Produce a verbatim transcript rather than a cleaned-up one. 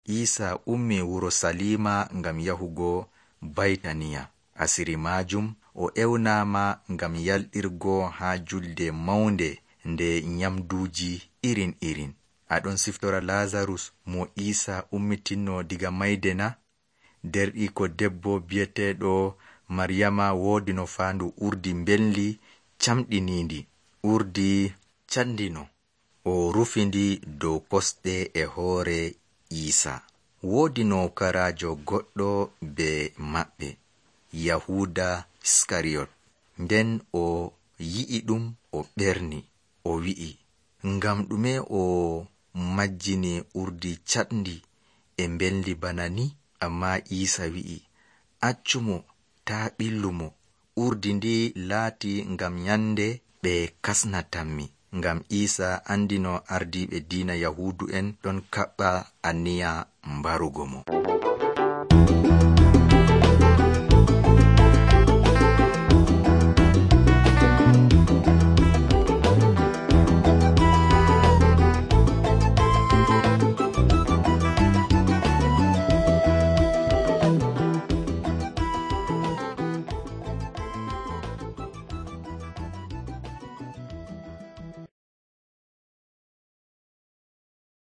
Isa ummi wuro Salima ngam yahugo Baitaniya. Asiri majum o ewnama ngam yalɗirgo ha julde maunde nde nyamduji irin irin. Aɗon siftora Lazarus mo Isa ummitinno diga mayde na? Der iko debbo biyeteɗo Maryama wodi no faandu urdi mbelli camɗinindi, urdi candino. O rufindi dow kosɗe e hoore Isa. Wodi nokarajo goɗɗo be maɓɓe, Yahuda Iskariyot. Nden o yi'i ɗum o ɓerni, o wi'i, ngam ɗume o majjini urdi caɗndi e mbelndi bana ni? Amma Isa wi'i, accumo, taa ɓillumo. Urdi ndi laati ngam nyande ɓe kasnatanmi. Ngam Isa andino ardiiɓe diina Yahudu en ɗon kaɓɓa aniya mbarugo mo.